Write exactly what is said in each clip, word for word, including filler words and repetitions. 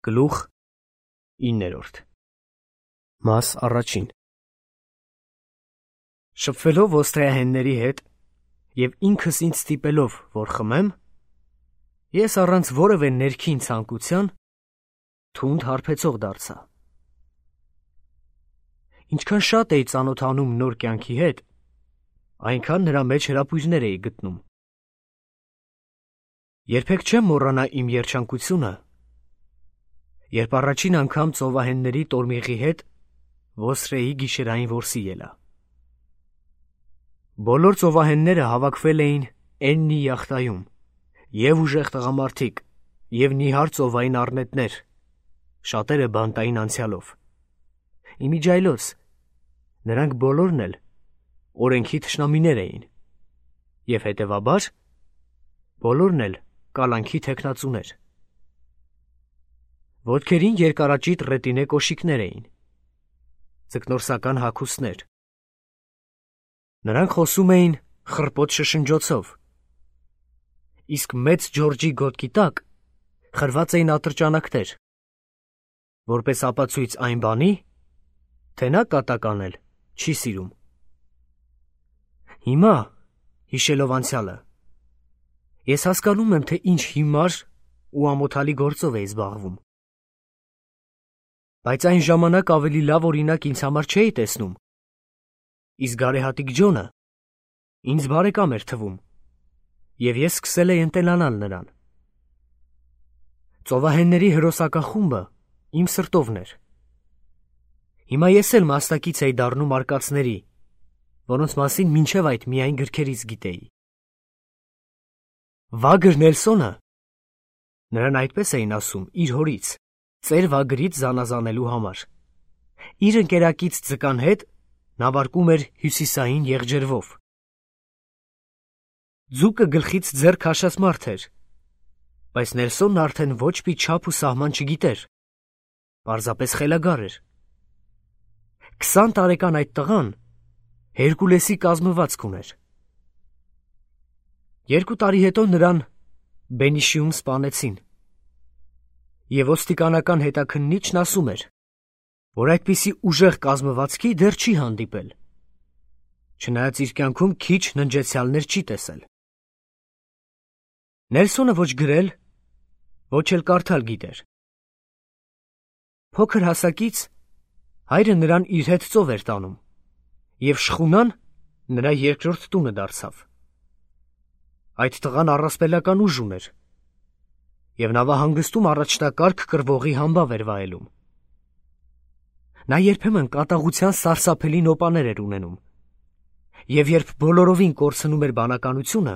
Գլուխ իններորդ Մաս առաջին Շփվելով ոստրեահենների հետ և ինքս ինձ ստիպելով, որ խմեմ, ես առանց որևէ ներքին ցանկության թունդ հարբեցող դարձա։ Ինչքան շատ էի ծանոթանում նոր կյանքի հետ, այնքան նրա մեջ հրապույրներ էի գտնում։ Երբեք չեմ մոռանա իմ երջանկությունը, երբ առաջին անգամ ծովահենների տորմիղի հետ ոստրեի գիշերային որսի ելա։ Բոլոր ծովահենները հավաքվել էին Էննի յախտայում, և ուժեղ տղամարդիկ, և նիհար ծովային առնետներ, շատերը բանտային անցյալով։ Իմիջիայլոց, նրանք բոլորն էլ օրենքի թշնամիներ էին, և հետևաբար բոլորն էլ կալանքի թեկնածուներ։ Ոտքերին երկարաճիտ ռետինե կոշիկներ էին, ձկնորսական հագուստներ։ Նրանք խոսում էին խռպոտ շշնջոցով, իսկ մեծ Ջորջի գոտքի տակ խրված էին ատրճանակներ, որպես ապացույց այն բանի, թե նա կատակ անել չի սիրում։ Հիմա, հիշելով անցյալը, ես հասկանում եմ, թե ինչ հիմար ու ամոթալի գործով էի զբաղվում։ Բայց այն ժամանակ ավելի լավ օրինակ ինձ համար չէի տեսնում, իսկ գարեհատիկ Ջոնը ինձ բարեկամ էր թվում, և ես սկսել էի ընտելանալ նրան։ Ծովահենների հրոսակախումբը իմ սրտովն էր։ Հիմա ես էլ մասնակից էի դառնում արկածների, որոնց մասին մինչև այդ միայն գրքերից գիտեի։ Վագր Նելսոնը, նրան այդպես էին ասում իր հորից, ծեր վագրից զանազանելու համար, իր ընկերակից ձկան հետ նավարկում էր հյուսիսային եղջերվով։ Ձուկը գլխից ձեռ քաշած մարդ էր, բայց Նելսոնն արդեն ոչ մի չափ ու սահման չգիտեր, պարզապես խելագար էր։ Քսան տարեկան այդ տղան Հերկուլեսի կազմվածք ուներ։ Երկու տարի հետո նրան Բենիշիում սպանեցին, և ոստիկանական հետաքննիչն ասում էր, որ այդպիսի ուժեղ կազմվածքի դեռ չի հանդիպել, չնայած իր կյանքում քիչ ննջեցյալներ չի տեսել։ Նելսոնը ոչ գրել, ոչ էլ կարդալ գիտեր։ Փոքր հասակից հայրը նրան իր հետ ծով էր տանում, և շխունան նրա երկրորդ տունը դարձավ։ Այդ տղան առասպելական ուժ ուներ, և նավահանգստում առաջնակարգ կռվողի համբավ էր վայելում։ Նա երբեմն կատաղության սարսափելի նոպաներ էր ունենում, և երբ բոլորովին կորցնում էր բանականությունը,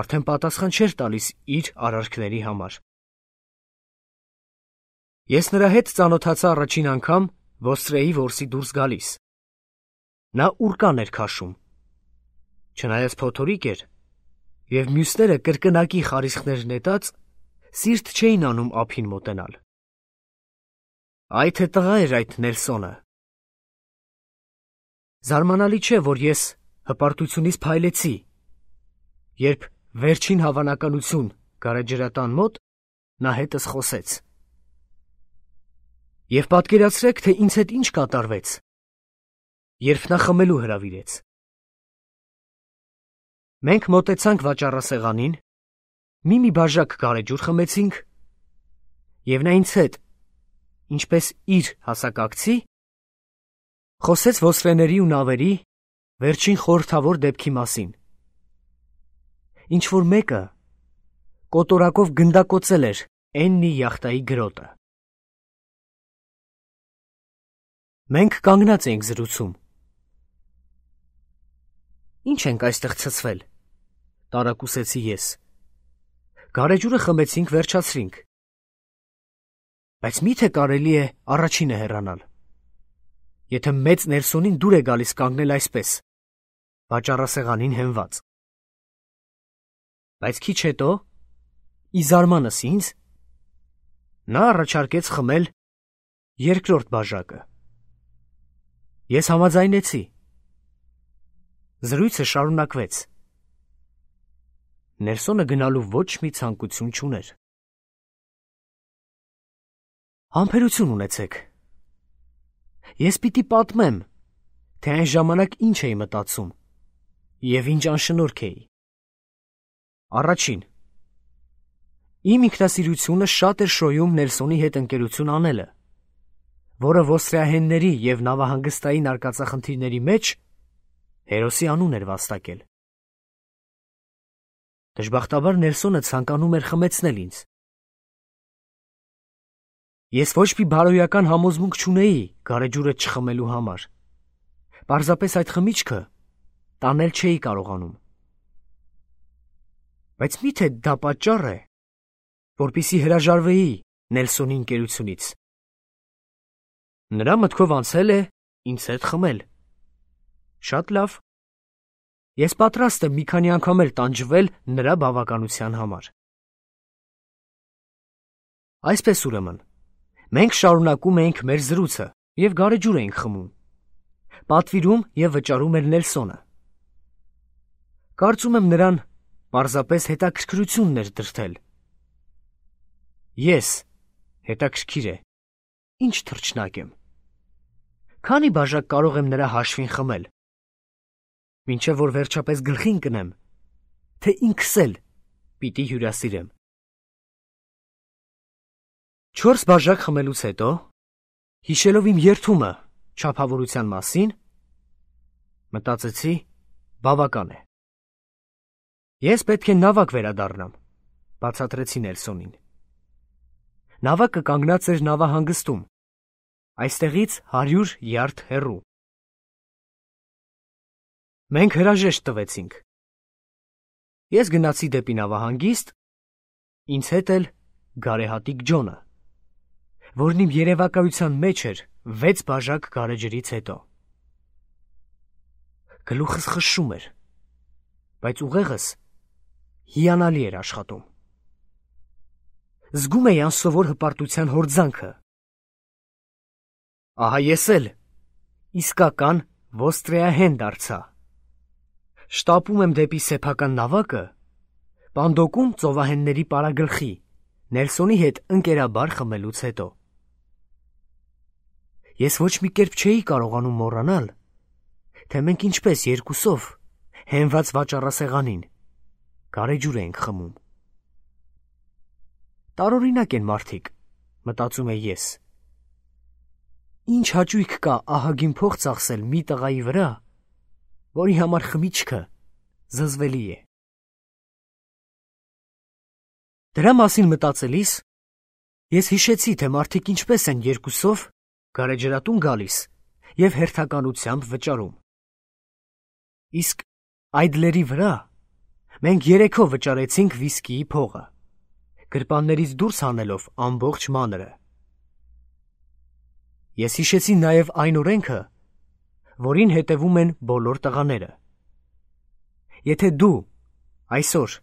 արդեն պատասխան չէր տալիս իր արարքների համար։ Ես նրա հետ ծանոթացա առաջին անգամ ոստրեի որսի դուրս գալիս։ Նա ուռկան էր քաշում, չնայած փոթորիկ էր, և մյուսները կրկնակի խարիսխներ նետած սիրտ չէին անում ափին մոտենալ։ Այ թե տղա էր այդ Նելսոնը։ Զարմանալի չէ, որ ես հպարտությունից փայլեցի, երբ վերջին հավանականություն գարեջրատան մոտ նա հետս խոսեց։ Եվ պատկերացրեք, թե ինձ հետ ինչ կատարվեց, երբ նա խմելու հրավիրեց։ Մենք մոտեցանք վաճառասեղանին, մի-մի բաժակ գարեջուր խմեցինք, և նա ինձ հետ, ինչպես իր հասակակցի, խոսեց ոստրեների ու նավերի վերջին խորհրդավոր դեպքի մասին։ Ինչ-որ մեկը կոտորակով գնդակոծել էր Էննի յախտայի գրոտը։ Մենք կանգնած էինք զրուցում։ Ինչ ենք այստեղ ցցվել, տարակուսեցի ես։ Գարեջուրը խմեցինք, վերջացրինք։ Բայց մի՞թե կարելի է առաջինը հեռանալ, եթե մեծ Նելսոնին դուր է գալիս կանգնել այսպես, վաճառասեղանին հենված։ Բայց քիչ հետո, ի զարմանս ինձ, նա առաջարկեց խմել երկրորդ բաժակը։ Ես համաձայնեցի։ Զրույցը շարունակվեց։ Նելսոնը գնալու ոչ մի ցանկություն չուներ։ Համբերություն ունեցեք։ Ես պիտի պատմեմ, թե այն ժամանակ ինչ էի մտածում և ինչ անշնորհք էի։ Առաջին. իմ ինքնասիրությունը շատ էր շոյում Նելսոնի հետ ընկերություն անելը, որը ոստրիահենների և նավահանգստային արկածախնդիրների մեջ հերոսի անուն էր վաստակել։ Դժբախտաբար Նելսոնը ցանկանում էր խմեցնել ինձ։ Ես ոչ մի բարոյական համոզմունք չունեի գարեջուրը չխմելու համար։ Պարզապես այդ խմիչքը տանել չէի կարողանում։ Բայց մի՞թե դա պատճառ է, որպեսզի հրաժարվեի Նելսոնի ընկերությունից։ Նրա մտքով անցել է ինձ հետ խմել։ Շատ լավ։ Ես պատրաստ եմ մի քանի անգամ էլ տանջվել նրա բավականության համար։ Այսպես ուրեմն, մենք շարունակում էինք մեր զրույցը և գարեջուր էինք խմում։ Պատվիրում և վճարում էր Նելսոնը։ Կարծում եմ նրան պարզապես հետաքրքրությունն էր դրդել։ Ես, հետաքրքիր է, ինչ թռչնակ եմ։ Քանի բաժակ կարող եմ նրա հաշվին խմել, մինչև որ վերջապես գլխի ընկնեմ, թե ինքս էլ պիտի հյուրասիրեմ։ Չորս բաժակ խմելուց հետո, հիշելով իմ երդումը չափավորության մասին, մտածեցի, բավական է։ Ես պետք է նավակ վերադառնամ, բացատրեցի Նելսոնին։ Նավակը կանգնած էր նավահանգստում, այստեղից հարյուր յարդ հեռու։ Մենք հրաժեշտ տվեցինք։ Ես գնացի դեպի նավահանգիստ, ինձ հետ էլ գարեհատիկ Ջոնը, որն իմ երևակայության մեջ էր վեց բաժակ գարեջրից հետո։ Գլուխս խշշում էր, բայց ուղեղս հիանալի էր աշխատում։ Զգում էի անսովոր հպարտության հորձանքը։ Ահա ես էլ իսկական ոստրիահեն դարձա։ Շտապում եմ դեպի սեփական նավակը, պանդոկում ծովահենների պարագլխի, Նելսոնի հետ ընկերաբար խմելուց հետո։ Ես ոչ մի կերպ չէի կարողանում մոռանալ, թե մենք ինչպես երկուսով, հենված վաճառասեղանին, գարեջուր էինք խմում։ Տարօրինակ են մարդիկ, մտածում էի ես։ Ինչ հաճույք կա ահագին փող ծախսել մի տղայի վրա, որի համար խմիչքը զզվելի է։ Դրա մասին մտածելիս, ես հիշեցի, թե մարդիկ ինչպես են երկուսով գարեջրատուն գալիս և հերթականությամբ վճարում։ Իսկ Այդլերի վրա մենք երեքով վճարեցինք վիսկիի փողը, գրպաններից դուրս հանելով ամբողջ մանրը։ Ես հիշեցի նաև այն օրենքը, որին հետևում են բոլոր տղաները։ Եթե դու այսօր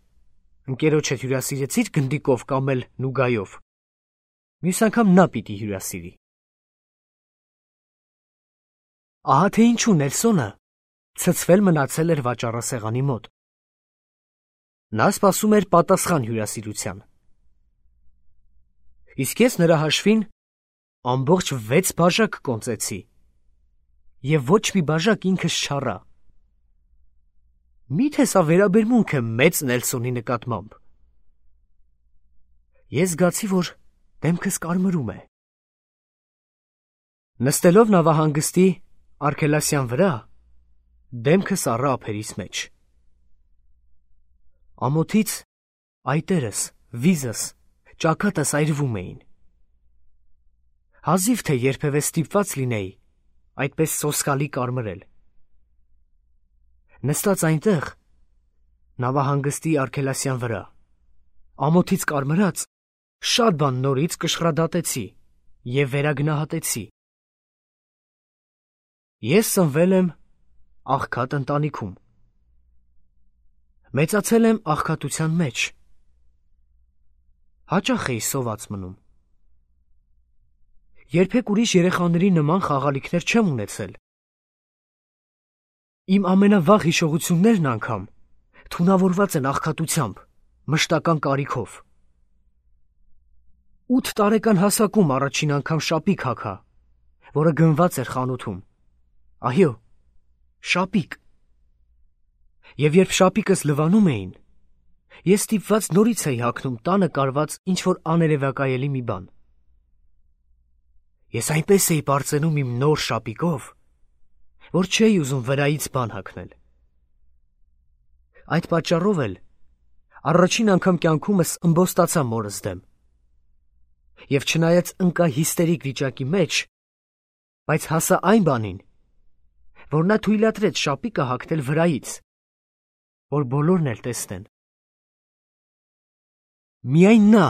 ընկերոջդ հյուրասիրեցիր գնդիկով կամ էլ նուգայով, մյուս անգամ նա պիտի հյուրասիրի։ Ահա թե ինչու Նելսոնը ցցվել մնացել էր վաճառասեղանի մոտ։ Նա սպասում էր պատասխան հյուրասիրության։ Իսկ ես նրա հաշվին ամբողջ վեց բաժակ կոնծեցի և ոչ մի բաժակ ինքս չառա։ Մի՞թե սա վերաբերմունք է մեծ Նելսոնի նկատմամբ։ Ես զգացի, որ դեմքս կարմրում է։ Նստելով նավահանգստի արգելասյան վրա, դեմքս առա ափերիս մեջ։ Ամոթից այտերս, վիզս, ճակատս այրվում էին։ Հազիվ թե երբևէ ստիպված լինեի այդպես սոսկալի կարմրել։ Նստած այնտեղ, նավահանգստի արգելասյան վրա, ամոթից կարմրած, շատ բան նորից կշռադատեցի և վերագնահատեցի։ Ես ծնվել եմ աղքատ ընտանիքում։ Մեծացել եմ աղքատության մեջ։ Հաճախ էի սոված մնում։ Երբեք ուրիշ երեխաների նման խաղալիքներ չեմ ունեցել։ Իմ ամենավաղ հիշողություններն անգամ թունավորված են աղքատությամբ, մշտական կարիքով։ ութ տարեկան հասակում առաջին անգամ շապիկ հագա, որը գնված էր խանութում։ Այո, շապիկ։ Եվ երբ շապիկս լվանում էին, ես ստիպված նորից էի հագնում տանը կարված ինչ-որ աներևակայելի մի բան։ Ես այնպես էի պարծենում իմ նոր շապիկով, որ չէի ուզում վրայից բան հագնել։ Այդ պատճառով էլ առաջին անգամ կյանքումս ըմբոստացա մորս դեմ։ Եվ չնայած ընկա հիստերիկ վիճակի մեջ, բայց հասա այն բանին, որ նա թույլատրեց շապիկը հագնել վրայից, որ բոլորն էլ տեսնեն։ Միայն նա,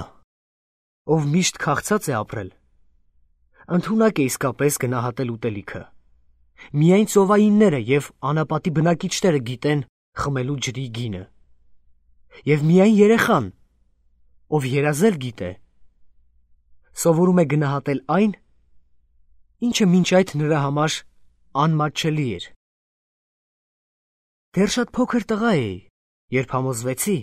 ով միշտ քաղցած է ապրել, ընդունակ է իսկապես գնահատել ուտելիքը։ Միայն ծովայինները և անապատի բնակիչները գիտեն խմելու ջրի գինը։ Եվ միայն երեխան, ով երազել գիտե, սովորում է գնահատել այն, ինչը մինչ այդ նրա համար անմատչելի էր։ Դեռ շատ փոքր տղա էի, երբ համոզվեցի,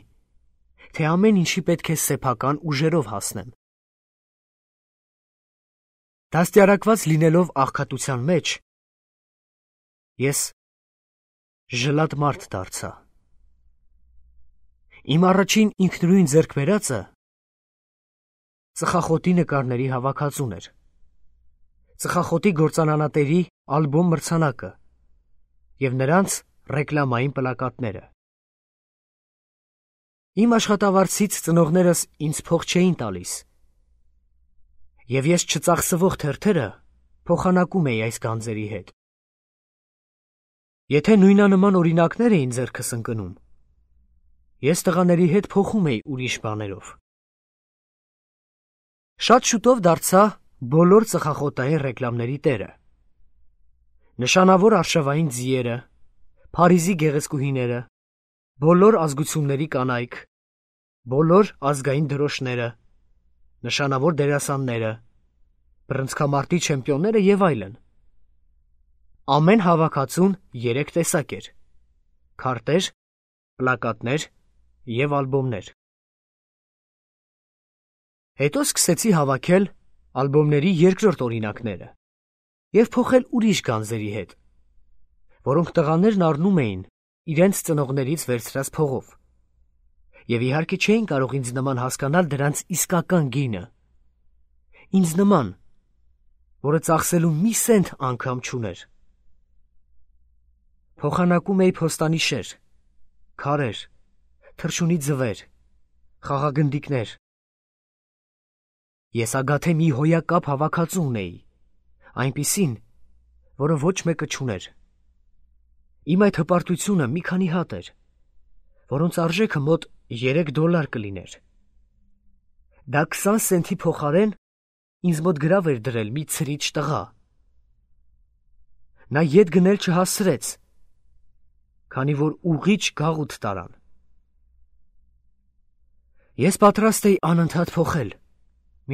թե ամեն ինչի պետք է սեփական ուժերով հասնեմ։ Դաստիարակված լինելով աղքատության մեջ, ես ժլատ մարդ դարձա։ Իմ առաջին ինքնուրույն ձեռքբերածը ծխախոտի նկարների հավաքածուն էր, ծխախոտի գործանանատերի ալբոմ մրցանակը և նրանց ռեկլամային պլակատները։ Իմ աշխատավարձից ծնողներս ինձ փող չէին տալիս, և ես չծախսվող թերթերը փոխանակում էի այս գանձերի հետ։ Եթե նույնանման օրինակներ էին ձեռքս ընկնում, ես տղաների հետ փոխում էի ուրիշ բաներով։ Շատ շուտով դարձա բոլոր ծխախոտային ռեկլամների տերը։ Նշանավոր արշավային ձիերը, Փարիզի գեղեցկուհիները, բոլոր ազգությունների կանայք, բոլոր ազգային դրոշները, նշանավոր դերասանները, բռնցքամարտի չեմպիոնները և այլն։ Ամեն հավաքածուն երեք տեսակ էր՝ քարտեր, պլակատներ և ալբոմներ։ Հետո սկսեցի հավաքել ալբոմների երկրորդ օրինակները և փոխել ուրիշ գանձերի հետ, որոնք տղաներն առնում էին իրենց ծնողներից վերցրած փողով, և իհարկե չէին կարող ինձ նման հասկանալ դրանց իսկական գինը, ինձ նման, որը ծախսելու մի սենթ անգամ չուներ։ Փոխանակում էի փոստանիշեր, քարեր, թռչունի ձվեր, խաղագնդիկներ։ Ես ագաթե մի հոյակապ հավաքածու ունեի, այնպիսին, որը ոչ մեկը չուներ։ Իմ այդ հպարտությունը մի քանի հատ էր, որոնց արժեքը մոտ երեք դոլար կլիներ։ Դա քսան սենթի փոխարեն ինձ մոտ գրավ էր դրել մի ցրիչ տղա։ Նա ետ գնել չհասցրեց, քանի որ ուղիղ գաղութ տարան։ Ես պատրաստ էի անընդհատ փոխել,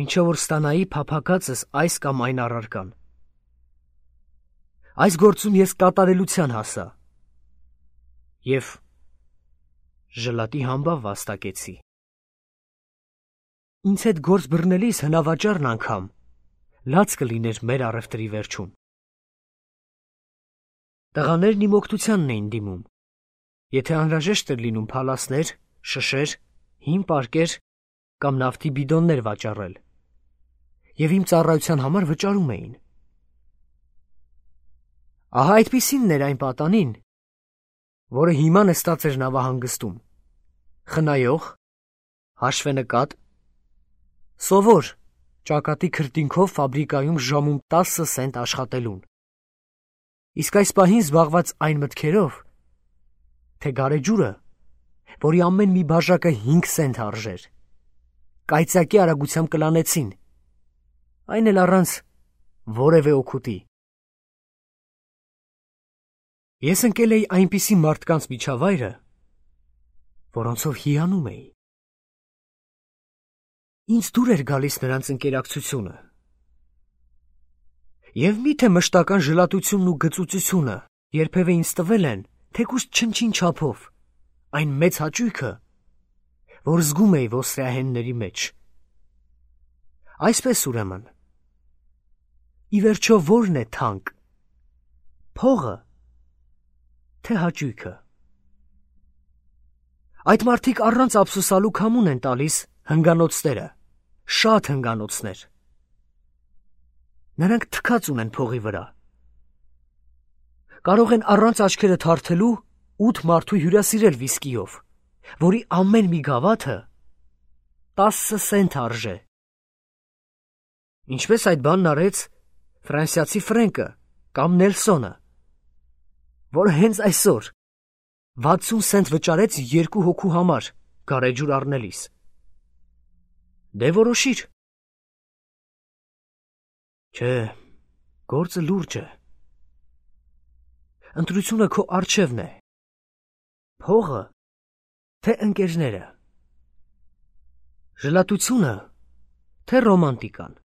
մինչև որ ստանայի փափագածս այս կամ այն առարկան։ Այս գործում ես կատարելության հասա և ժլատի համբավ վաստակեցի։ Ինձ հետ գործ բռնելիս հնավաճառն անգամ լաց կլիներ մեր առևտրի վերջում։ Տղաներն իմ օգնությանն էին դիմում, եթե անհրաժեշտ էր լինում փալասներ, շշեր, հին պարկեր կամ նավթի բիդոններ վաճառել, և իմ ծառայության համար վճարում էին։ Ահա այդպիսինն էր այն պատանին, որը հիմա նստած էր նավահանգստում, խնայող, հաշվենկատ, սովոր, ճակատի քրտինքով ֆաբրիկայում ժամում տասը սենտ աշխատելուն, իսկ այս պահին զբաղված այն մտքերով, թե գարեջուրը, որի ամեն մի բաժակը հինգ սենտ արժեր, կայծակի արագությամբ կլանեցին, այն էլ առանց որևէ օգուտի։ Ես ընկել էի այնպիսի մարդկանց միջավայրը, որոնցով հիանում էի։ Ինձ դուր էր գալիս նրանց ընկերակցությունը։ Եվ միթե մշտական ժլատությունն ու գծուծությունը երբևէ ինձ տվել են, թեկուզ չնչին չափով, այն մեծ հաճույքը, որ զգում էի ոսրեահենների մեջ։ Այսպես ուրեմն։ Ի վերջո ո՞րն է թանկ, փողը, թե հաճույքը։ Այդ մարդիկ առանց ափսոսալու քամուն են տալիս հնգանոցները, շատ հնգանոցներ։ Նրանք թքած ունեն փողի վրա։ Կարող են առանց աչքերը թարթելու ութ մարդու հյուրասիրել վիսկիով, որի ամեն մի գավաթը տասը սենտ արժե։ Ինչպես այդ բանն արեց ֆրանսիացի Ֆրենկը կամ Նելսոնը, որը հենց այսօր վաթսուն սենտ վճարեց երկու հոգու համար գարեջուր առնելիս։ Դե որոշիր։ Չէ, գործը լուրջ է։ Ընտրությունը քո առջևն է։ Փողը, թե ընկերները։ Ժլատությունը, թե ռոմանտիկան։